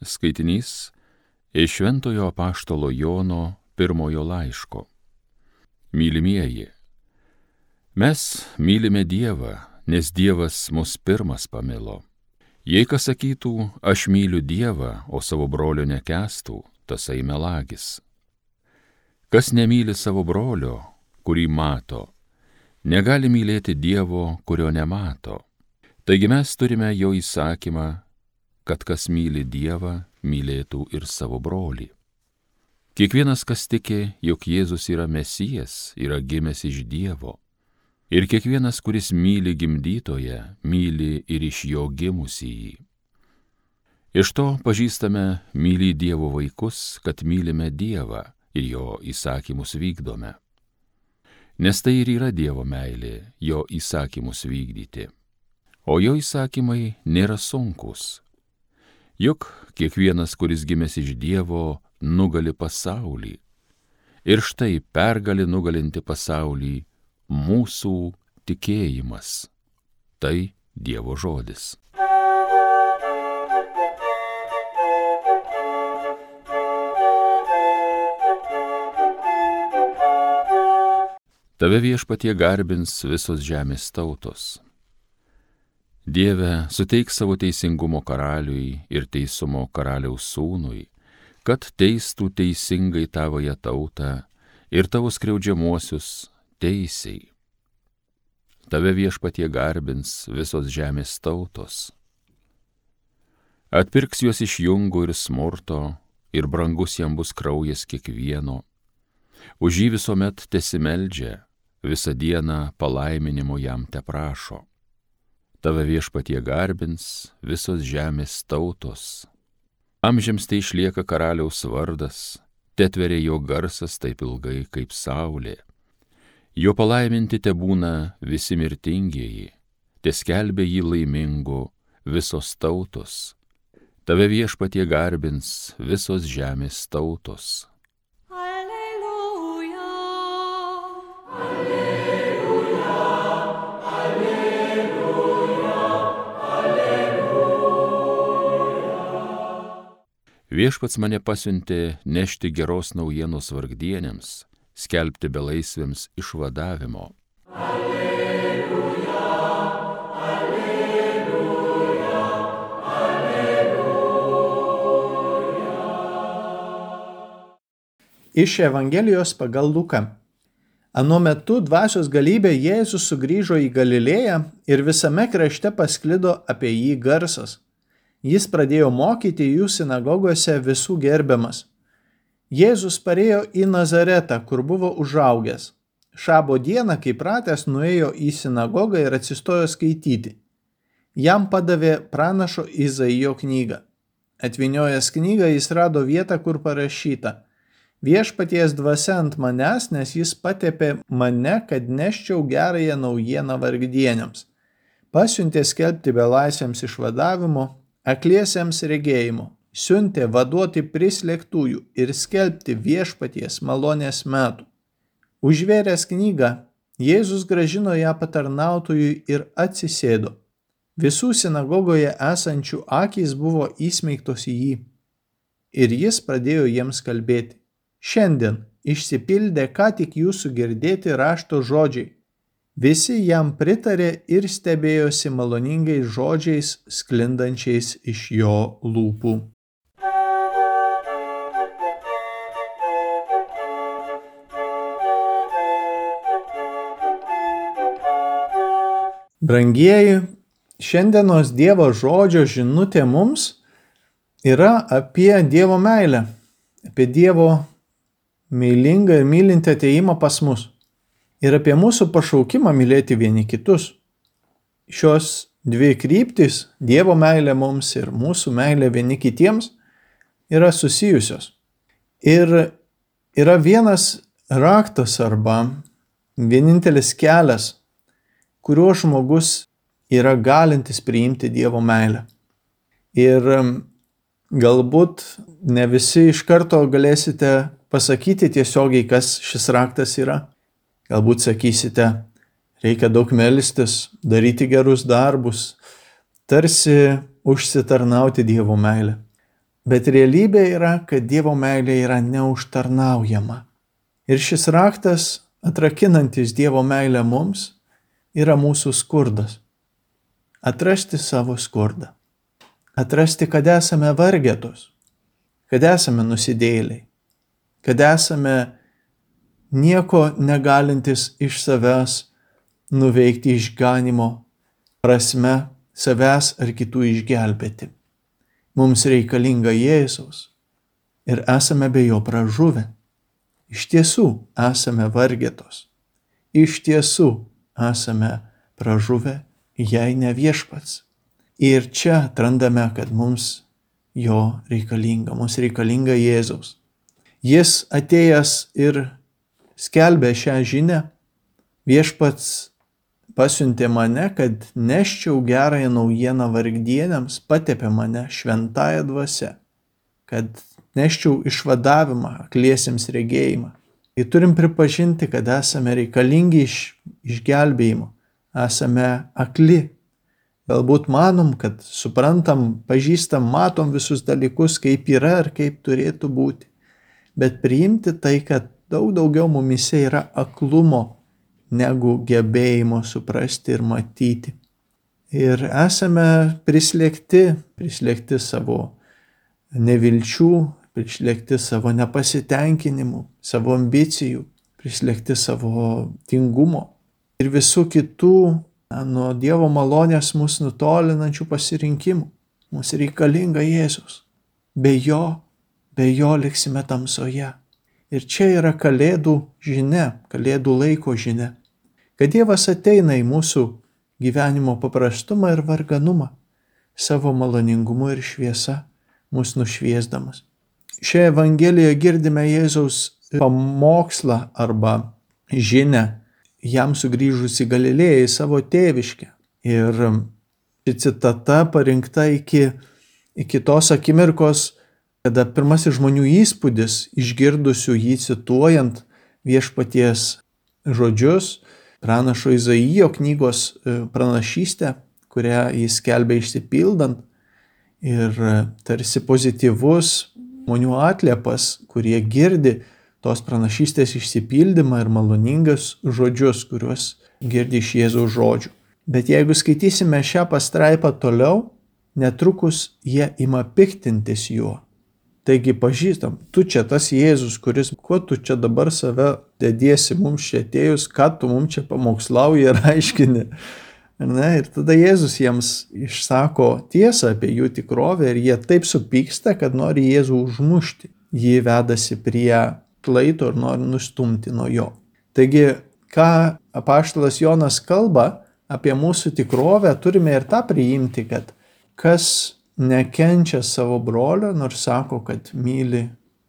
Skaitinys iš Šventojo apaštalo Jono pirmojo laiško. Mylimieji, mes mylime Dievą, nes Dievas mus pirmas pamilo. Jei kas sakytų, aš myliu Dievą, o savo brolio nekęstų, tasai melagis. Kas nemyli savo brolio, kurį mato, negali mylėti Dievo, kurio nemato. Taigi mes turime jo įsakymą, kad kas myli Dievą, mylėtų ir savo brolį. Kiekvienas, kas tiki, jog Jėzus yra Mesijas, yra gimęs iš Dievo. Ir kiekvienas, kuris myli gimdytoją, myli ir iš jo gimusįjį. Iš to pažįstame mylį Dievo vaikus, kad mylime Dievą ir jo įsakymus vykdome. Nes tai ir yra Dievo meilė, jo įsakymus vykdyti. O jo įsakymai nėra sunkūs. Juk kiekvienas, kuris gimęs iš Dievo, nugali pasaulį. Ir štai pergali nugalinti pasaulį mūsų tikėjimas. Tai Dievo žodis. Tave Viešpatie garbins visos žemės tautos. Dieve, suteik savo teisingumo karaliui ir teisumo karaliaus sūnui, kad teistų teisingai tavoje tautą ir tavo skriaudžiamuosius teisiai. Tave Viešpatie garbins visos žemės tautos. Atpirks juos iš jungo ir smurto, ir brangus jam bus kraujas kiekvieno. Už jį visuomet tesimeldžia, visą dieną palaiminimo jam teprašo. Tave Viešpatie garbins visos žemės tautos. Amžiams tai išlieka karaliaus vardas, tetveria jo garsas taip ilgai kaip saulė. Jo palaiminti tebūna visi mirtingieji, teskelbia jį laimingu visos tautos. Tave Viešpatie garbins visos žemės tautos. Viešpats mane pasiuntė nešti geros naujienos vargdieniams, skelbti belaisviams išvadavimo. Alleluja, alleluja, alleluja. Iš Evangelijos pagal Luką. Anuo metu dvasios galybė Jėzus sugrįžo į Galilėją ir visame krašte pasklido apie jį garsas. Jis pradėjo mokyti jų sinagogose visų gerbiamas. Jėzus parėjo į Nazaretą, kur buvo užaugęs. Šabo dieną, kai pratęs, nuėjo į sinagogą ir atsistojo skaityti. Jam padavė pranašo Izaijo knygą. Atvyniojęs knygą, jis rado vietą, kur parašyta: Viešpaties dvasia ant manęs, nes jis patepė mane, kad neščiau gerąją naujieną vargdieniams. Pasiuntė skelbti belaisviams išvadavimo, akliesiems regėjimo, siuntė vaduoti prislėgtųjų ir skelbti Viešpaties malonės metų. Užvėręs knygą, Jėzus grąžino ją patarnautojui ir atsisėdo. Visų sinagogoje esančių akys buvo įsmeigtos į jį. Ir jis pradėjo jiems kalbėti: Šiandien išsipildė ką tik jūsų girdėti rašto žodžiai. Visi jam pritarė ir stebėjosi maloningais žodžiais sklindančiais iš jo lūpų. Brangieji, šiandienos Dievo žodžio žinutė mums yra apie Dievo meilę, apie Dievo meilingą ir mylintį atėjimą pas mus. Ir apie mūsų pašaukimą mylėti vieni kitus. Šios dvi kryptys, Dievo meilė mums ir mūsų meilė vieni kitiems, yra susijusios. Ir yra vienas raktas arba vienintelis kelias, kuriuo žmogus yra galintis priimti Dievo meilę. Ir galbūt ne visi iš karto galėsite pasakyti tiesiogiai, kas šis raktas yra. Galbūt sakysite, reikia daug melstis, daryti gerus darbus, tarsi užsitarnauti Dievo meilę. Bet realybė yra, kad Dievo meilė yra neužtarnaujama. Ir šis raktas, atrakinantis Dievo meilę mums, yra mūsų skurdas. Atrasti savo skurdą. Atrasti, kad esame vargetos, kad esame nusidėjėliai, kad esame nieko negalintis iš savęs nuveikti išganimo prasme, savęs ar kitų išgelbėti. Mums reikalinga Jėzaus ir esame be jo pražuvę. Iš tiesų esame vargetos. Iš tiesų esame pražuvę, jei ne Viešpats. Ir čia atrandame, kad mums jo reikalinga. Mums reikalinga Jėzaus. Jis atėjęs ir skelbė šią žinią. Viešpats pasiuntė mane, kad neščiau gerąją naujieną vargdieniams, patepė mane šventąja dvasia, kad neščiau išvadavimą akliesiems regėjimą. Ir turim pripažinti, kad esame reikalingi išgelbėjimo, esame akli. Galbūt manom, kad suprantam, pažįstam, matom visus dalykus, kaip yra ar kaip turėtų būti. Bet priimti tai, kad daug daugiau mumise yra aklumo, negu gebėjimo suprasti ir matyti. Ir esame prislėgti savo nevilčių, prislėgti savo nepasitenkinimų, savo ambicijų, prislėgti savo tingumo ir visų kitų nuo Dievo malonės mus nutolinančių pasirinkimų. Mums reikalinga Jėzus. Be jo liksime tamsoje. Ir čia yra Kalėdų žinia, Kalėdų laiko žinia, kad Dievas ateina į mūsų gyvenimo paprastumą ir varganumą, savo maloningumu ir šviesa, mus nušviesdamas. Šioje Evangelijoje girdime Jėzaus pamokslą arba žinią, jam sugrįžus į Galilėją, į savo tėviškę. Ir ši citata parinkta iki tos akimirkos, kada pirmasis žmonių įspūdis, išgirdusių jį cituojant Viešpaties žodžius, pranašo Izaijo knygos pranašystę, kurią jis skelbė išsipildant, ir tarsi pozityvus žmonių atliepas, kurie girdi tos pranašystės išsipildymą ir maloningas žodžius, kuriuos girdi iš Jėzaus žodžių. Bet jeigu skaitysime šią pastraipą toliau, netrukus jie ima piktintis juo. Taigi pažįstam, tu čia tas Jėzus, kuo tu čia dabar save dediesi mums čia atėjus, ką tu mums čia pamokslauji ir aiškini. Ir tada Jėzus jiems išsako tiesą apie jų tikrovę ir jie taip supyksta, kad nori Jėzų užmušti. Jį vedasi prie klaito ir nori nustumti nuo jo. Taigi, ką apaštalas Jonas kalba apie mūsų tikrovę, turime ir tą priimti, kad kas nekenčia savo brolio, nors sako, kad myli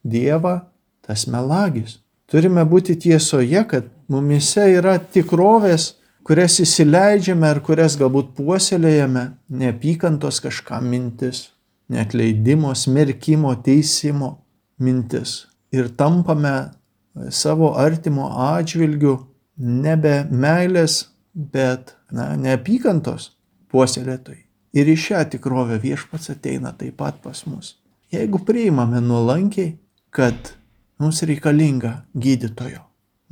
Dievą, tas melagis. Turime būti tiesoje, kad mumise yra tikrovės, kurias įsileidžiame ir kurias galbūt puoselėjame, neapykantos kažkam mintis, neatleidimo, smerkimo, teisimo mintis. Ir tampame savo artimo atžvilgiu nebe meilės, bet neapykantos puoselėtojai. Ir į šią tikrovę Viešpats ateina taip pat pas mus. Jeigu priimame nuolankiai, kad mums reikalinga gydytojo,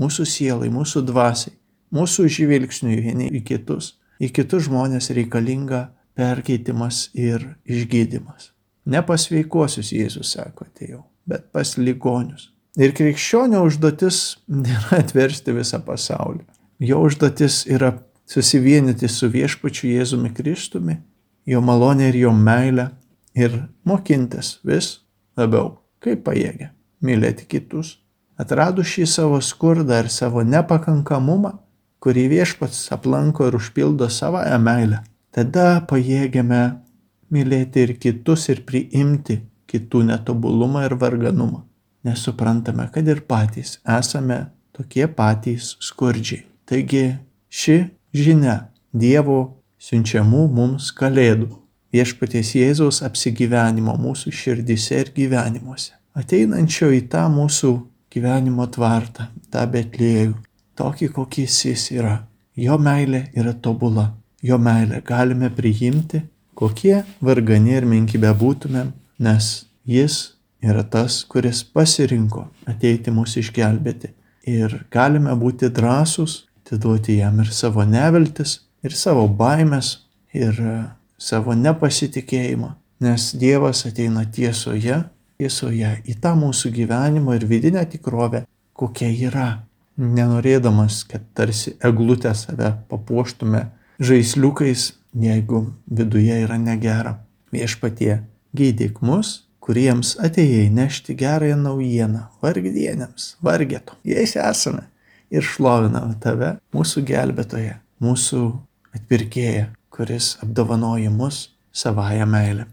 mūsų sielai, mūsų dvasiai, mūsų žvilgsniui vieni į kitus žmonės reikalinga perkeitimas ir išgydymas. Ne pas sveikuosius, Jėzus sako, atėjau, bet pas ligonius. Ir krikščionio užduotis nėra atversti visą pasaulį. Jo užduotis yra susivienyti su Viešpačiu Jėzumi Kristumi, jo malonė ir jo meilė ir mokintis vis labiau, kaip pajėgia, mylėti kitus. Atradus šį savo skurdą ir savo nepakankamumą, kurį Viešpats aplanko ir užpildo savąją meilę, tada pajėgiame mylėti ir kitus ir priimti kitų netobulumą ir varganumą. Nes suprantame, kad ir patys esame tokie patys skurdžiai. Taigi ši žinia Dievo siunčiamų mums Kalėdų, Viešpaties Jėzaus apsigyvenimo mūsų širdyse ir gyvenimuose, ateinančio į tą mūsų gyvenimo tvartą, tą Betliejų, tokį, kokis jis yra. Jo meilė yra tobula, jo meilę galime priimti, kokie vargani ir menki bebūtumėm, nes Jis yra tas, kuris pasirinko ateiti mus išgelbėti. Ir galime būti drąsūs, atiduoti jam ir savo neviltis, ir savo baimės, ir savo nepasitikėjimą. Nes Dievas ateina tiesoje į tą mūsų gyvenimą ir vidinę tikrovę, kokia yra. Nenorėdamas, kad tarsi eglutę save papuoštume žaisliukais, jeigu viduje yra negera. Viešpatie, gydyk mus, kuriems atėjai nešti gerąją naujieną, vargdienėms, vargeto. Jais esame ir šloviname tave, mūsų gelbėtoją, mūsų atpirkėją, kuris apdovanoja mus savąją meilę.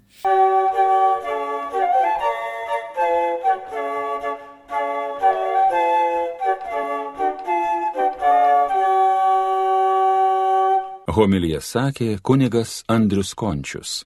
Homiliją sakė kunigas Andrius Končius.